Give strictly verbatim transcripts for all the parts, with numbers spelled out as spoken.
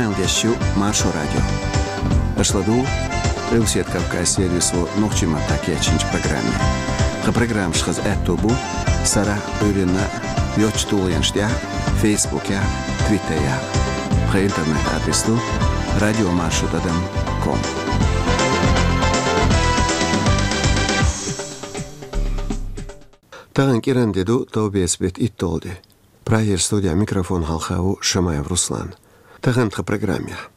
Къамел деш ю Маршо радио. Аша ладугӀу Къилбаседа Кавказ сервисо нохчийн маттахь кечйинчу программе. Тхан программаш хаза аьтто бу сарахь а, Ӏуьйранна а йоцчу тулгӀенаш тӀехь а, Фейсбукехь а, Твиттерехь а. Тхан интернет-адрес ду радиомаршо тӀадам ком. Тахана кӀиран де ду, товбеца беттан итталгӀа де. Прагера студехь микрофон хьалха ву Шамаев Руслан. Тахана тхан программехь.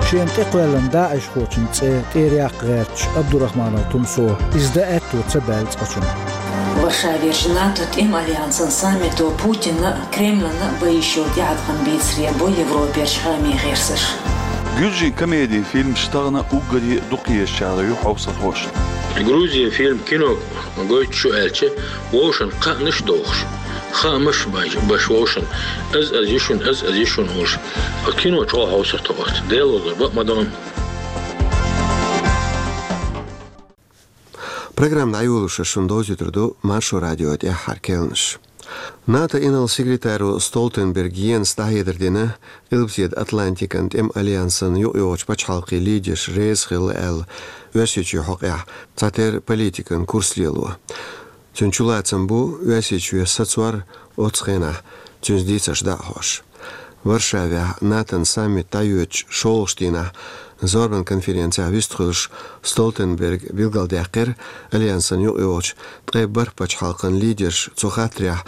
Шена тӀекхоьллина даӀишхочун цӀе тӀера яккха гӀерташ Абдурахманов Тумсо, иза дан аьтто ца баьлла цкъачунна. Варшавера НАТО тӀеман альянсан саммито Путинна а, Кремльна а бан йиш йолу тӀеӀаткъам бийцаре бо Европерчу хаамийн гӀирсаша. Гуьржийн комедин фильмаш тахана уггаре а дукха езачарах ю хьовсархоша. Грузин фильм кино гойтуш ю аьлча, вовшашна кхаънаш а дохуш, хаамаш а беш, беш вовшашна, аз-аз ю шуна, аз-аз ю шуна олуш. Ткъа кино чӀогӀа хьовсур ду оцу, Делан лазар бан а ма дан. Программа дӀайолош шуна довзуьйтур ду Маршо радион тӀаьххьара керланаш. НАТО инарла-секретаро Столтенберг Йенса дӀахьедар дина, Къилбаседа Атлантикан тӀеман альянсан юкъайогӀучу пачхьалкхийн лидерш реза хилла аьлла, Оьрсийчоьнан хьокъехь цхьатерра политикан курс лело. Цуьнан чулацам бу Оьрсийчоь сацор оццу хенахь, цуьнца дийцарш дӀа а хьош. Варшавехь НАТОн саммит дӀайоьдучу шолгӀачу дийнахь зорбан конференцехь вистхуьлуш Столтенберга билгалдаьккхира альянсан юкъайогӀучу ткъе бархӀ пачхьалкхан лидерш цу хаттарехь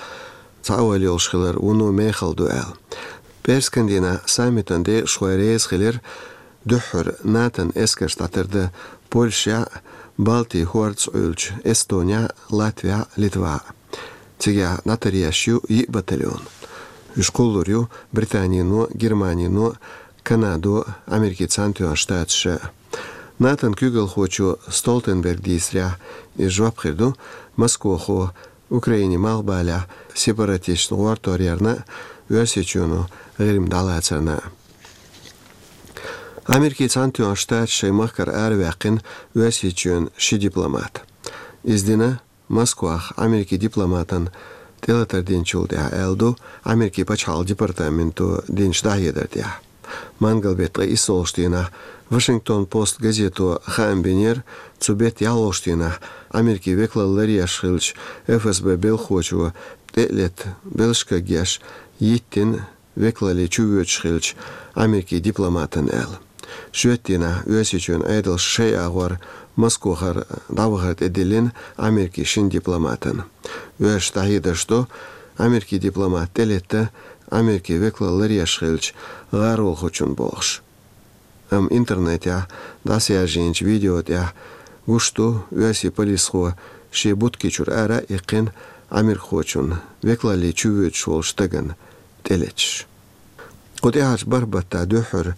цхьа ойла йолуш хилар вуно мехала ду аьлла. ПӀераскан дийнахь саммитан декъашхой реза хилира дуьххьара НАТОн эскарш дӀатардан Польшехь а, Балтийн хӀордашца Ӏуьллучу Эстонехь а, Латвехь а, Литвахь а. Цигахь дӀатаръеш ю йиъ батальон. Уьш кхуллур ю Британино, Германино, Канадо, Америкин Цхьаьнатоьхна Штаташа. НАТОн куьйгалхочо Столтенберга дийцарехь, иза жоп хир ду Москвахо Украинин малхбалехь сепаратисташна гӀортор ярна а, Оьрсийчоьно ГӀирма дӀалацарна а. Америкин Цхьаьнатоьхна Штаташа шайн махкара араваьккхина Оьрсийчоьнан ши дипломат. Иза дина Москвахь Америкин дипломатан тӀелатар динчул тӀаьхьа, аьлла ду Америкин пачхьалкхан департаменто динчу дӀахьедар тӀехь. Мангал беттан ткъе иссалгӀачу дийнахь Вашингтон Пост газето хаам бинера, цу беттан ялхолгӀачу дийнахь Америкин векалалла ларъеш хиллачу ФСБ белхахочо тӀе а летта белшаш кагъеш йиттина векалалле чувоьдуш хиллачу Америкин дипломатана аьлла. Шоьтан дийнахь Оьрсийчоьнан Ӏедалша шайн агӀор Москвахара дӀавахар тӀедиллина Америкин шина дипломатана. Оьрсаша дӀахьедарш до, Америкин дипломат тӀелетта Америкин векалалла ларъеш хиллачу гӀаролхочунна бохуш. Амма интернетехь дӀасаяьржийначу видео тӀехь гуш ду оьрсийн полисхо шен будкичура ара а иккхина, америкахочунна, векалалле чувоьдуш волчу стагана, тӀелеташ. Кху тӀаьхьарчу бархӀ баттахь дуьххьара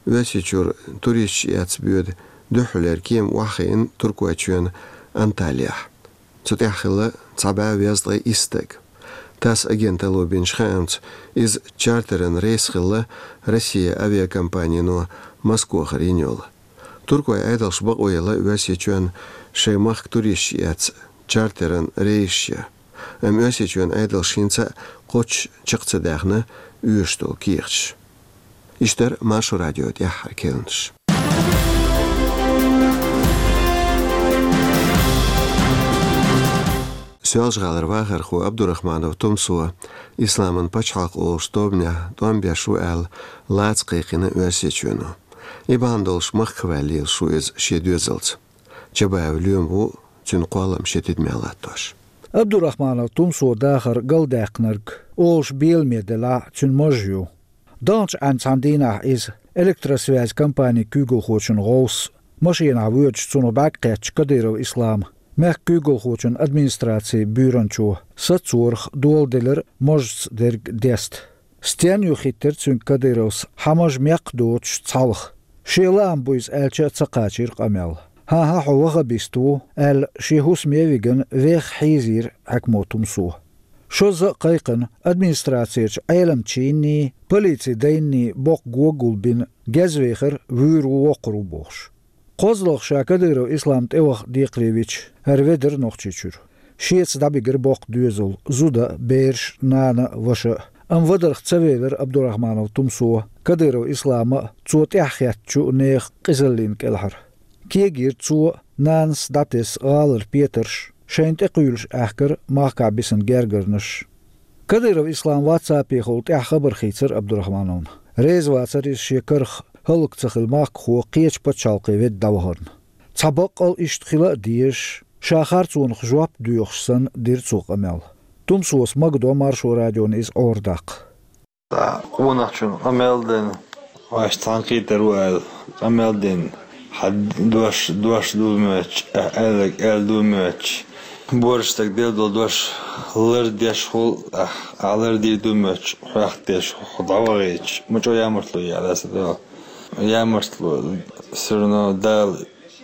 Оьрсийчуьра туристаш эцна боьду дуьххьарлера кема охьахиъна Туркойчоьнан Анталияхь. Цу тӀехь хилла цхьа бӀе везткъе исс стаг. ТАСС агенталло бинчу хаамца, иза чартеран рейс хилла Россия авиакомпанино Москвахара йина йолу. Туркойн Ӏедалша бакъо елла Оьрсийчоьнна шайн махка туристаш эцна чартеран рейсаш ян. Амма Оьрсийчоьнан Ӏедалша хӀинца а кхоччуш чекх ца даьхна оьшуш долу кехаташ. Иштта дара Маршо радион тӀаьххьара керланаш. Соьлжа-ГӀалара вахархо Абдурахманов Тумсо Исламан пачхьалкх олуш тобанехь тӀом беш ву аьлла, лаца кхайкхина Оьрсийчоьно. И бахьана долуш махках ваьлла лелаш ву иза шен доьзалца. Чабаев Лоьма ву цуьнан кхоллам шен тидамехь латтош. Абдурахманов Тумсо дахар галдаьккхинарг олуш беламе делахь а, цуьнан маж ю. Даханчу Ӏаьнан цхьана дийнахь иза, электросвязь компанин куьйгалхочун гӀовс, машенахь воьдуш цунах бӀаьрг кхеттачу Кадыров Ислама, мехкан куьйгалхочун администрацин буьйранчо, сацорах доладелира мажца дерг деста. Стенна ю хиттира цуьнга Кадыровс, хьан маж мекх доцуш цхьалха? Шен лаам бу иза аьлча а ца кхачийра къамел. ХӀан-хӀа, хьо ваххабист ву, аьлла, шен хӀусаме а вигна, веха хьийзийра хьаькамо Тумсо. Шозза а кхайкхина, администрацерчу Ӏеламчийнний, полицин дайнний боккха го гулбина, гезвехара вуьйр ву, воккхур ву бохуш. КхозлагӀа ша Кадыров Ислам тӀеваха декхаре вича, хӀара ведара Нохчийчуьра. Шеца дӀабигира боккха доьзал, зуда а, бераш а, нана а, ваша а. Амма вадарх ца велира Абдурахманов Тумсо Кадыров Ислама а, цо тӀаьхьа хеттачу а нехан къизаллин кӀелхьара. Кегийра цо а, нанас дӀатесса гӀалара петарш, шайна тӀекхуьйлуш аьхкира махкахь бисина гергарнаш. Кадыров Ислам ватсапехула тӀаьхьа хабар хийцира Абдурахмановна. Реза вацара иза шен карах хӀаллак ца хилла махкахо кхечу пачхьалкхе ведда дӀавахарна. Цхьа баккъал иштта хила а дезаш, ша харцонах жоп доьхуш санна дира цо къамел. Тумсос магадо Маршо радиона иза Ӏорадаккха. Къонахчун къамел дина, вайша цхьаьна кхетар ву аьлла, къамел дина, хьан дош, дош ду моьттуш, аьлларг аьлла ду моьттуш, боьрша стаг делла долу дош лардеш хуьлу, ахь лардийр ду моьттуш, хьоьхна деш хьо дӀавахийтуш, ма чӀогӀа ямартло яц аса дуьхьал. Ямартло, всё равно Дала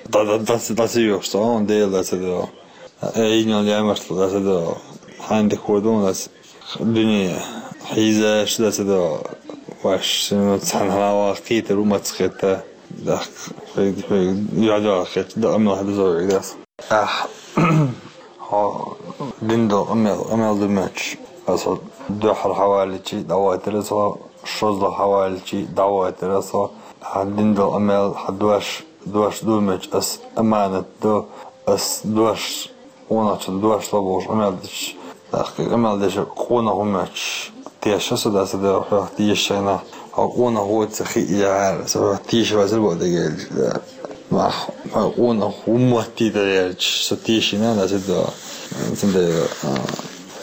дӀа-, дӀа-, дӀа-, дӀа ца йохуш, со хьуна Дела дӀа ца догӀу. Э, йина ямартло дӀа ца догӀу. Хьайн дика хӀун ду аса дуьне хьийзаш дӀа ца догӀу. Вайша всё равно цхьаьна хьалаваха кхетар ву маца хетта. Дахка, хӀуьг, хӀуьг, юьхь-дуьхьал хетта, даа мел хьадазорг дас. Ахь, хьо дина долу къамел, къамел ду моьттуш, аса дуьххьара хьавалличи дӀавойтира со, шозлагӀа хьавалличи дӀавойтира со, ахь дина долу къамел, хьан дош, дош ду моьттуш, ас аманат ду, ас дош, къонахчун дош ло бохуш къамел деш, тӀаккха къамел деш къонах ву моьттуш, теша со дӀа ца догӀу, хьох тешаш хьайна, хьо къонах воцу ца хиъ яхьара, со хьох теша вацара боху дагайрча, да. Мах, хьо къонах ву моттийта гӀерташ, со тешина дӀа ца догӀу. Цундела, а,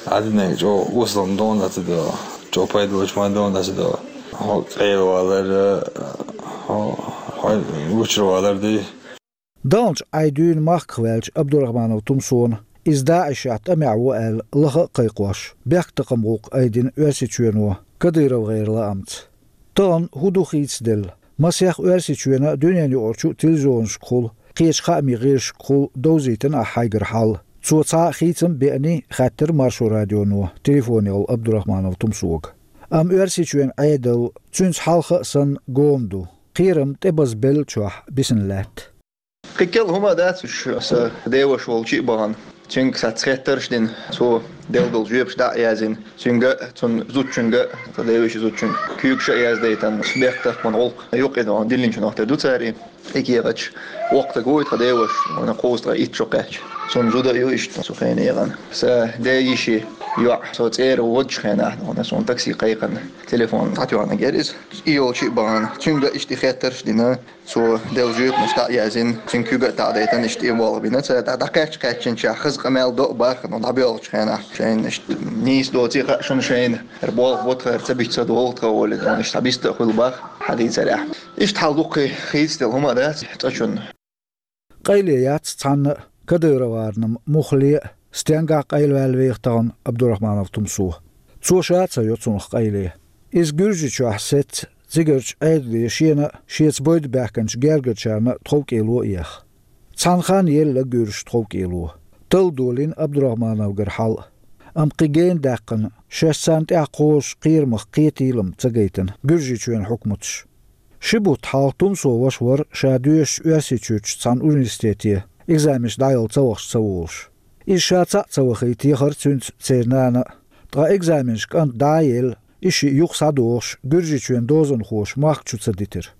Ӏадинарг чӀогӀа осалла ма ду дӀа ца догӀу, чӀогӀа пайда луш ма ду дӀа ца догӀу. Хьо къайлавалар, хьо, хьо гучуравалар дуй. Далначу Ӏай дуьйна махках ваьллачу Абдурахманов Тумсона, иза ДАИШехь тӀамехь ву аьлла лаха а кхайкхош, бехктакхаман гӀуллакх айдина Оьрсийчоьно КадыровгӀеран лаамца. Тахана хӀун ду хийцаделла? Масех Оьрсийчоьнан а, дуьненаюкъарчу а телевизионашкахула, кхечу хаамийн гӀирсашкахула довзийтина ахь хьайгара хьал? Цо цхьа а хийцам а беаний, хаьттира Маршо радионо телефонехула Абдурахманов Тумсога. Амма Оьрсийчоьнан Ӏедал цуьнца хьалха а санна гома ду. Кхерам тӀебазбеллачохь бисина лаьтта. Кхин кӀел хӀума а дац уьш, аса деваша волчу а бахана. Цуьнга сац хеттарш а дина, цо делла долу жоьпаш дӀа а яздина. Цуьнга а, цунна зудчуьнга а, тхан деваша зудчуьнга куьйгаш а яздайтина, бехктакхаман гӀуллакх юкъа диллинчунах тера ду цара и кехаташ. Воккха стаг вуй тхан деваша, вайна кхузткъе итт шо кхаьчча. Цунна зуда а ю иштта цу хенахь. Сан ден йишин йоӀ, со цӀера водучу хенахь, суна такси кхайкхина, телефон дӀатоьхна гира иза. И йолчу а бахана, цуьнга а иштта и хеттарш а дина. Цо делла жоьпаш дӀа а яздина, цуьнан куьйга а дӀадайтина, иштта и болх бина. Цара дӀа-, дӀакхаьчча кхаьччинчохь хаза къамел до а бахана, дӀабоьлхучу хенахь, шайна иштта нийса доций хаьа шуна шайна, хӀара болх бу тхара, ца бита ца догӀу тхан волий, иштта дӀабиста а хуьлу баха хьадийцарехь. Иштта хьал дуккхий хийцаделла хӀума а дац цкъачунна. Къайле яц цхьанна а, Кадыроварнам муххале а, стенгахь къайлаваьлла веха тахана Абдурахманов Тумсо. Цо ша а ца йо цунах къайле. Иза Гуьржийчохь сецна, цигарчу Ӏедале шена а, шеца бойда баьхкинчу гергарчарна а тховкӀело а еха. Цхьана ханна елла гуьржаш тховкӀело. Талла долийна Абдурахмановгара хьал а. Амма кхин гена даьккхина, шаьш царна тӀехь кхозуш кхерамах кхетийла-м ца гайтина Гуьржийчоьнан хьукматаш. Ши бутт хьалха Тумсо ваша вара ша доьшучу Оьрсийчуьрчу цхьана университете экзаменаш дӀаяла ца вахча ца волуш. Иза ша цхьаъ ца вахийта яхара цуьнца церан нана а. Ткъа экзаменаш кӀанта дӀа а елла, и шиъ юха схьадохуш, Гуьржийчоьнан дозанхоша махка чу ца дитира.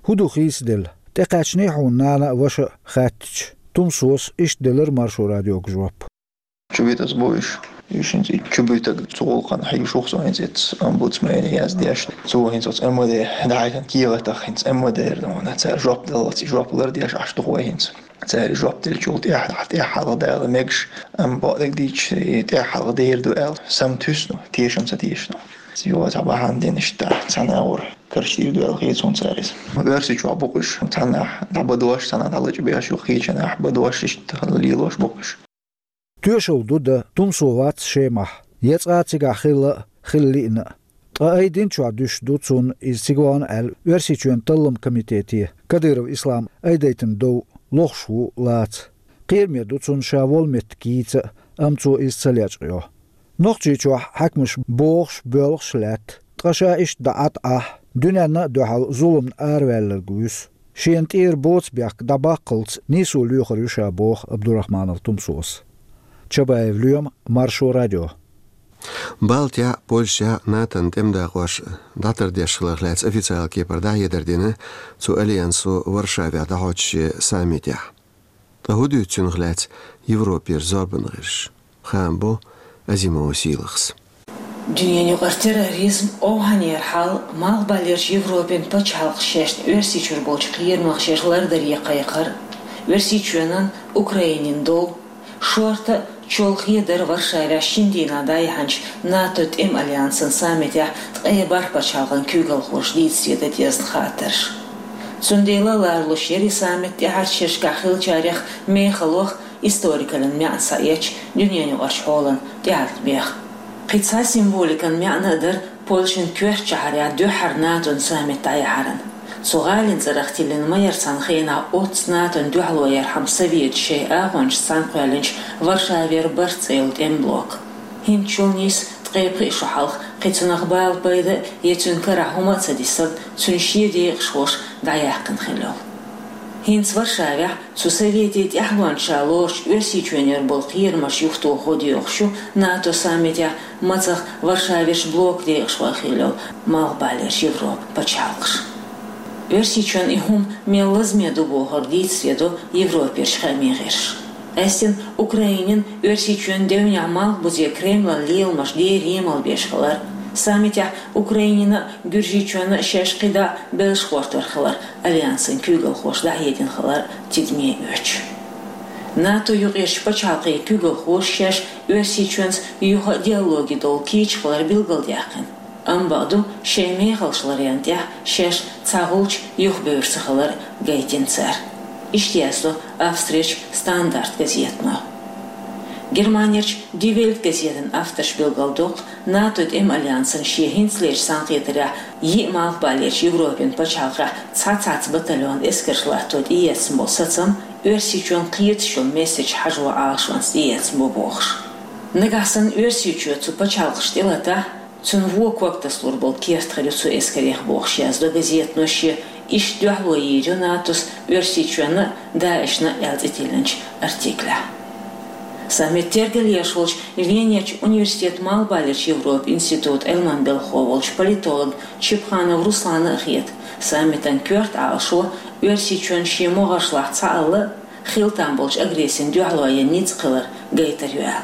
ХӀун ду хийцаделла? ТӀекхаьчний хьуна нана а, ваша а хаьттича, Тумсос иштта делира Маршо радиога жоп. Чубитас бу уьш. Уьш хӀинца и Чубитаг цу гӀуллакхана хьийшух со хӀинца эццу омбудсмене яздеш. Цо хӀинца оцу МВД дӀахьаьхкина кехатах хӀинца МВД-ра вахана, цара жоп даллалц и жоп лардеш Ӏаш ду-кх вай хӀинца. Цара и жоп деллачул тӀаьхьа, тӀаьхьа хьалха дала мегаш, амма бакъдерг дийцича, и тӀаьхьа хьалха дер ду аьлла, сам туьсну, тешам ца тешну. Цо цхьа бахьана дина иштта, цхьана агӀор карчийр ду аьлла хета суна цара иза. Оьрсийчохь бу уьш, цхьаннахьа дӀабадош, цхьаннахьа дӀалачбеш, юха кхечанахьа бадош, иштта лелош бу уьш. Тоьшалла ду дан Тумсо вац Шемахь, я цкъа а цигахь хилла а, хила лиъна а. Ткъа айдинчохь дуьсуш ду цунна иза цига вахана аьлла Оьрсийчоьнан талламан комитете Кадыров Ислам айдайтина дов лохуш ву, лаца. Кхераме ду цунна ша волу меттиг йийца а, амма цо иза ца лечкъайо. Нохчийчохь хьаькамаш бохуш, боьлхуш лаьтта, ткъа ша иштта дӀа Ӏа тӀе Ӏахь, дуьненна а дуьхьал зуламна араваьлларг вуьсу. Шена тӀера боцу бехк дӀабаккхалц нийсо лоьхур ю ша, боху Абдурахманов Тумсос. Чабаев Лоьма, Маршо радио. Балтехь, Польшехь НАТО-н тӀеман дакъош дӀатардеш хиларх лаьцна официалан кепара дӀахьедар дина цу альянсо Варшавехь дӀахьочу шен саммитехь. Ткъа хӀун дуьйцу цунах лаьцна Европера зорбанан гӀирсаша? Хаам бо Азимова Сийлахьас. Дуьненаюкъара терроризм, овхӀанера хьал, Малхбалерчу Европин пачхьалкхаш шаьш Оьрсийчуьра болчу кхерамах шаьш лардаре кхайкхар, Оьрсийчоьнан, Украинин дов, шорта а, чолхе а дар Варшавехь шина дийнахь дӀаяьхьначу НАТО тӀеман альянсан саммитехь ткъе бархӀ пачхьалкхан куьйгалхоша дийцаре дан дезна хаттарш. Цундела ларалуш яра и саммит тӀаьхьарчу шерашкахь хиллачарех мехаллех, историкаллин маьӀна схьаэцча, дуьненаюкъарчу хьолан тӀеӀаткъамех. Кхин цхьа символикан маьӀна а дара Польшин коьртачу шахьарехь дуьххьара НАТО-н саммит дӀаяьхьаран. Цу гӀалин цӀарах тиллина ма яра цхьана хенахь оццу НАТО-н дуьхьало ярхьама советаша шайн агӀончашца цхьаьна кхоьллинчу Варшавера барт цӀе йолу тӀеман блок. ХӀинцачул нийса ткъе пхи шо хьалха кхин цунах бала пайда а, я цуьнан карахь хӀума а ца дисарна, цуьнан шен декъашхоша дӀаяьккхина хилла йолу. ХӀинца Варшавехь цу советийн тӀаьхьалонца ша лоручу Оьрсийчоьнера болу кхерамаш юхатохо доьхуш ю НАТО саммитехь мацах Варшаверчу блокан декъашхой хилла йолу Малхбалерчу Европан пачхьалкхаш. Оьрсийчоьнна и хӀума мел лазаме ду бохург дийцаре до Европерчу хаамийн гӀирсаша. Къаьстина Украинин, Оьрсийчоьнан девнехь Малхбузе Кремлан леламаш дерриге а малбеш хилар, саммитехь Украинина а, Гуьржийчоьнна а шаьш кхидӀа а белш гӀортор хилар альянсан куьйгалхоша дӀахьедина хилар тидаме оьцуш. НАТО юкъерчу пачхьалкхийн куьйгалхоша шаьш Оьрсийчоьнца юха а диалоге довла кийча хилар билгалдаьккхина. Амма бакъду, шайн мехаллаш ларъярна тӀехь шаьш цхьа гӀулч юхабевр ца хилар гайтина цара. Иштта яздо Австрерчу Стандарт газетано. Германерчу Ди Вельт газетан авторша билгалдоккху, НАТО тӀеман альянсан шен хӀинцалерчу цхьаьнакхетарехь йиъ Малхбалерчу Европин пачхьалкхехь цхьа цхьацца батальонан эскарш латто тӀеэцна болу сацам Оьрсийчоьнна кхеташ йолу месседж хьажо Ӏалашонца тӀеэцна бу бохуш. Нагахь санна Оьрсийчоь цу пачхьалкхашна тӀелатахь, цунна вон ког тасалур болу керт хир ю цу эскарех бохуш яздо газетано шен «Иштта дуьхьало йийр ю НАТОс Оьрсийчоьнна а, ДАИШна а» аьлла цӀе тиллинчу артиклехь. Саммит тергалъеш волчу Венерчу университетан Малхбалерчу Европан институтан Ӏилманан белхахо волчу политолог Чепханов Руслана а хета, саммитан коьрта Ӏалашо Оьрсийчоьнна шен могӀаршлахь цхьаалла а, хила там болчу агрессина дуьхьало ян ницкъ хилар гайтар ю аьлла.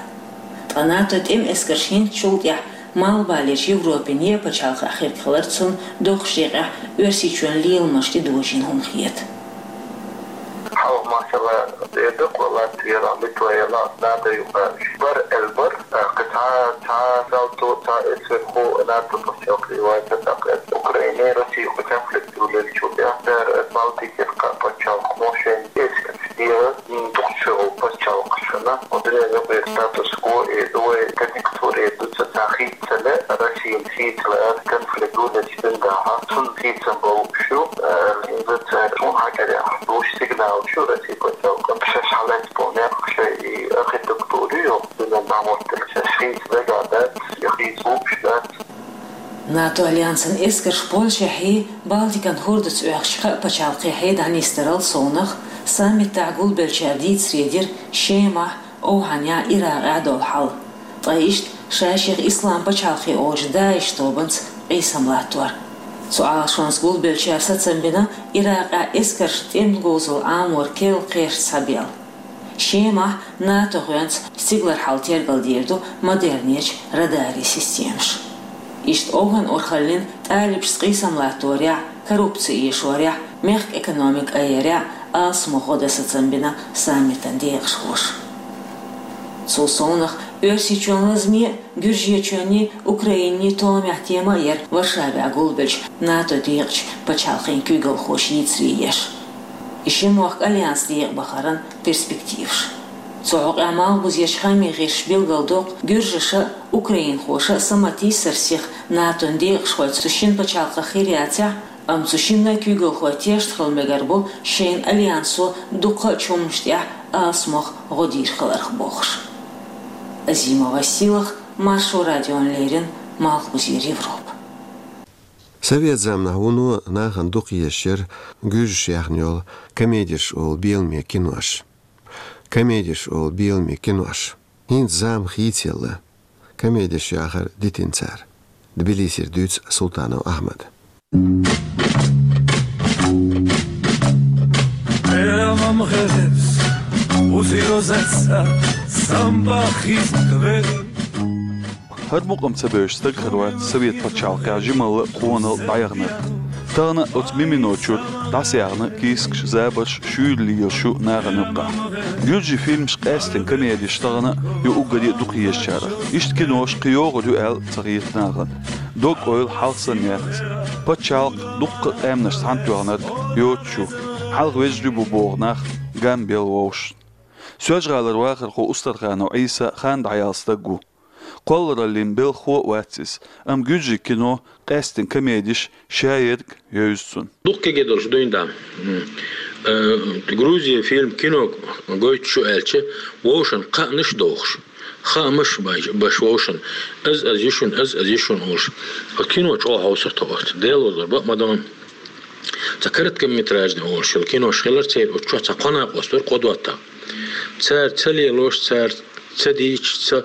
Ткъа НАТО тӀеман эскарш хӀинцачул тӀаьхьа Малхбалерчу Европин еа пачхьалкхехь хирг хиларца цунна доккхачу декъехь Оьрсийчоьнан леламаш тӀедожийна хӀума хета. Хьалха, масала, Эдакъа, Латвера, Литвера, НАТО юкъа бара аьлла бара, кхин цхьа, цхьа салто, цхьа эсверхо НАТО пачхьалкхе вайта тӀаккха. Украине, Россия юкъа конфликт йолчу тӀехь цара Балтикера кхаа пачхьалкхо шайн эскарш дехар дукхачу пачхьалкхашна. Дуьненаюкъара статус-кво и вай конъюнктуре дуьйцу, цхьа хийцале, Россияна хийцале конфликт йолчу дийнахь, цунна хийцам болуш ю, э, хӀинца цара шун хьакъарехь луш сигнал ю Россия пачхьалкхана, шаьш хьалаьцна болу некъ шайн и архитектура ю, дуьненан дӀахӀоттийна шаьш хийца дагахь дац, я хийца лууш дац. НАТО альянсан эскарш Польшехьий, Балтикан хӀордаца оьхучу кхаа пачхьалкхехьий дӀанисдарал совнах, саммитехь гулбеллачара дийцаре дира Шемахь, ОвхӀанехь, Иракъехь долу хьал. Ткъа иштта ша-шех Ислам пачхьалкхе олучу ДАИШ тобанца къийсам латтор. Цу Ӏалашонца гулбеллачара сацам бина Иракъехь эскаршна тӀеман говзалла Ӏамор керла кхерч схьабелла. Шемахь НАТО гӀоьнца стигалара хьал тергалдийр ду модернечу радарийн системаша. Иштта ОвхӀан урхаллин тӀалибашца къийсам латторехь, коррупци эшорехь, мехкан экономика айъярехь алсамо гӀо дан сацам бина саммитан декъашхоша. Цул совнах Оьрсийчоьнан лазаме а, Гуьржийчоьнний, Украинний томехь тема а яра Варшавехь гулбеллачу НАТО декъачу пачхьалкхийн куьйгалхоша йийцаре еш. И ши мохк альянс декъахбахаран перспективаш. Цу хьокъехь малхбузерчу хаамийн гӀирсаша билгалдоккху, гуьржаша а, украинхоша а саматийсар сиха НАТО-н декъашхой цу шина пачхьалкхах хир яцахь, амма цу шинна а куьйгалхой тешна хила мегар бу шайна альянсо дуккха а чу хӀуманаш тӀехь алсамох гӀо дийр хиларх бохуш. Азимова Сийлахь, Маршо радиона леррина, Малхбузера Европа. Совет заманахь вуно нахана дукха езаш яра гуьржаша яьхна йолу комедеш олу беламе кинош. Комедеш олу беламе кинош. ХӀинца зама хийцаелла. комедеш яхар дитина цара. Тбилисера дуьйцу Султанов Ахьмада. ХӀара мукъам ца бевзаш стаг хир вац Совет пачхьалкхехь жималла а, къонал а дӀаяханарг. Тахана оцу Мимино чуьра дӀасаяхна кийсакаш, забарш, шуьйра лелаш ю нахана юккъехь. Гуьржийн фильмаш, къаьсттина комедеш тахана а ю уггаре а дукха езачарах. Иштта кинош кхин йогӀур ю аьлла ца хета нахана. Дог-ойла хьалха санна яц. Пачхьалкх, дуккха а къаьмнаш цхьаьнатоьхнарг йоцуш ю. Хьалха вежарий бу боху нах гам белла вовшашна. Соьлжа-ГӀалара вахархо Устарханов Ӏийса хан дӀаяьлла стаг ву. Кхоллараллин белхахо а вац иза, амма гуьржийн кино, къаьсттина комедеш ша ерг а евза цунна. Дукха кегий долуш дуьйна дан. М. Э, Грузия фильм, кино гойтуш ю аьлча, вовшашна кхаънаш а дохуш, хаамаш а беш, беш вовшашна, аз, аз ю шуна, аз, аз ю шуна олуш. Оцу кино чӀогӀа хьовсур тхо оцу. Дела вазор бакъ ма дан. Цхьа короткометражный олуш йолу кинош хилар церан, оцу чохь цхьа кхо накъост вара, кхо доттагӀа. Цара ца лелош, цара ца дийцуш, ца,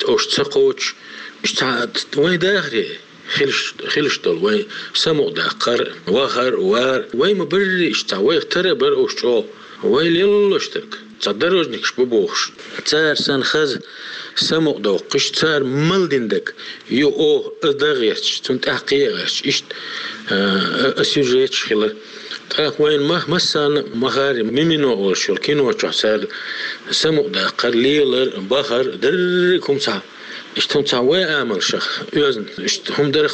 ош ца кхочуш, иштта цхьа вайн дахаре хилаш, хилаш долу, вайн самукъадаккхар, вахар, вар. Вай ма барри иштта цхьа, вайх тара а бара ош чӀогӀа. Вай лелош дерг, цхьа дорожникаш бу бохуш. Цара санна хаза самукъадоккхуш, цара мел дина дерг ю оха, аса дан гӀерташ, цунна тӀехь кхин а гӀерташ, иштта, а, а, а сюжеташ хилар. ТӀаккха вайна ма-, массарна а ма хаьара, Мимино олуш йолу кино чохь цара самукъадаккхар, лелар, бахар, дерриг а хӀума цхьа. Иштта хӀума цхьа вай амалшах оьзна, иштта хӀума дарх.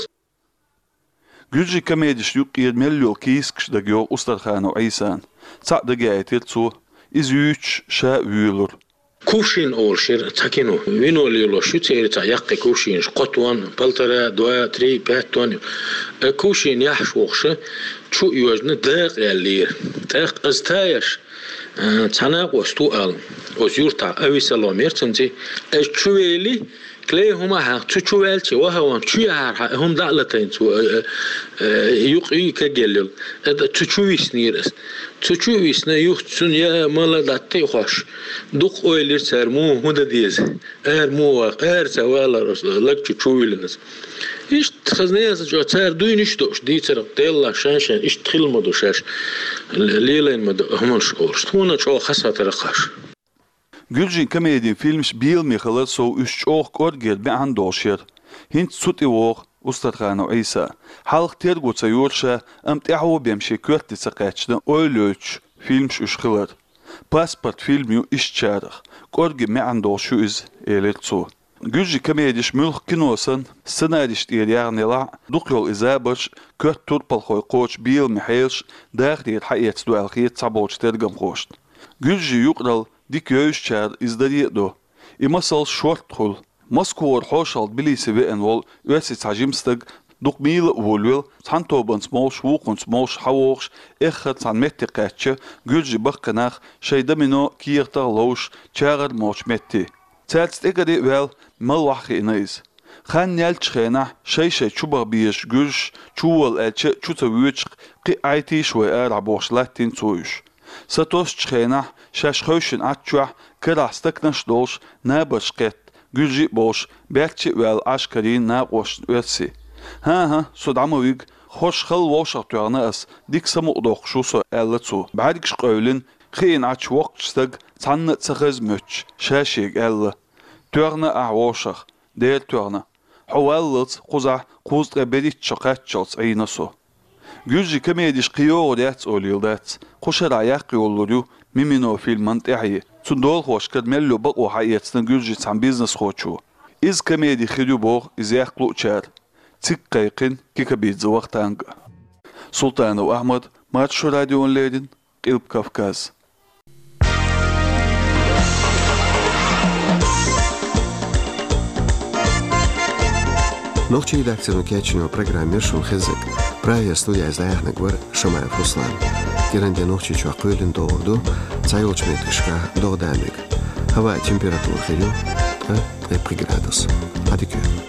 Гуьржийн комедешна юккъера мел йолу кийсакаш дагайогӀу Устарханов Ӏийсана. Цхьаъ дагаяийтира цо, иза юьйцуш ша а вуьйлура. «Кувшин» олуш яра цхьа кино. Вино лелош ю церан, цхьа яккхий кувшинаш, кхо тонн, полтора, два, три, пять тонн. Э, кувшин яхьаш вохуша, чу а йожна, дакъа яьллера. ТӀаккха аса таяш, э, цхьа накъост ву аьлла, оцу юьртахь Авессалом яра цуьнан цӀе. Аса чу вели, клей хӀума хьан, цу чу ваьлча, ваха ван, чу яхьара хьан, хӀума дӀа а латийна цо, э, э, э, юкъ ю кагъелла йолу. ТӀаккха цу чу виснера аса. Цу чу а висна, юха цунна я мала дӀатта а хьош. Дукха ойла йира цара, муха хӀун дан деза. Ара муха ваха, ара ца валара аса, лаг чу чу вилла аса. Иштта хаза несан чӀогӀа цара дуйнаш а доош, дийцарх делла шайн-шайн, иштта хилла ма ду шаьш, лелийна ма ду хӀуманаш олуш. Тхуна чӀогӀа хазахетара кхаш. Гуьржийн комедин фильмаш беламе хилар сов, уьш чӀогӀа кӀоргера маьӀна долуш яра. ХӀинца цу тӀе вогӀу Устарханов Ӏийса. Хьалха терго ца йора ша, амма тӀаьхьо бен шен коьрте ца кхаьчна, ойла йойтуш фильмаш уьш хилар. «Паспорт» фильм ю ишттачарах. КӀорггера маьӀна долуш ю иза, элира цо. Гуьржийн комедеш муьлхха кино санна, сценарийш тӀера яьхна елахь а, дукха йолу и забарш, коьрта турпалхой кхочу беламе хьелаш дахарера хьаэцна ду аьлла хета цхьаболчу тергамхошна. Гуьржийн юкъаралла дика евзачара иза даре а до. И масалш шортта хуьлу. Москвара хьошалгӀа Тбилиси веана волу оьрсийн цхьа жима стаг дукха мийла а волавелла, цхьана тобанца молуш, вукхунца молуш хьавогӀуш, эххар цхьана метте кхаьчча, гуьржийн баккхий нах шайн домино, кехатах а ловзуш, чагӀар а молчу метте. Цаьрца тӀекӀаре а ваьлла, мала ваха хиъна иза. Хан яьллачу хенахь шай-шай чу баха безаш гуьржаш, чу вола аьлча а, чу ца воьдуш, кхин а Ӏайтийша вай арахь бохуш, латтийна цо уьш. Сатоссучу хенахь шаьш хевшина Ӏаччохь карахь стаканаш а долуш, набарш кхетта, гуьржий а болуш, баьрчча а ваьлла, Ӏаш карийна накъосташна оьрсий. ХӀан-хӀа, со дӀа ма вига, хорша хала вовшах тоьхна ас, дика самукъадоккхуш ву со, аьлла цо. БӀаьргаш къевлина, хиъна Ӏачу воккхачу стага цхьанна а ца хеза моьттуш, ша шега аьлла: «Тоьхна ахь вовшах, дера тоьхна. Хьо валлалц кхузахь кхузткъе берхӀитта шо кхаччалц Ӏийна со». Гуьржийн комедеш кхин йогӀур яц олийла дац, кху шарахь яккха йолалур ю «Мимино» фильман тӀаьхье. Цуьнан долахошкара мел йолу бакъо хьаэцна гуьржийн цхьана бизнесхочо. Иза комеди хир ю боху иза яккха луучара. Цига кхайкхина Кикабидзе Вахтанг а. Султанов Ахьмад, Маршо радиона леррина, Къилба Кавказ. Нохчийн редакцино кечйина программа яра шуна хезнарг. Прагера студехь иза дӀаяьхьнарг вара Шамаев Руслан. КӀиранден Нохчийчохь кхоьлина догӀур ду, цхьайолчу меттигашкахь догӀа дан мега. Хьаваан температура хир ю ткъа ткъе пхи градус. Ӏадика йойла.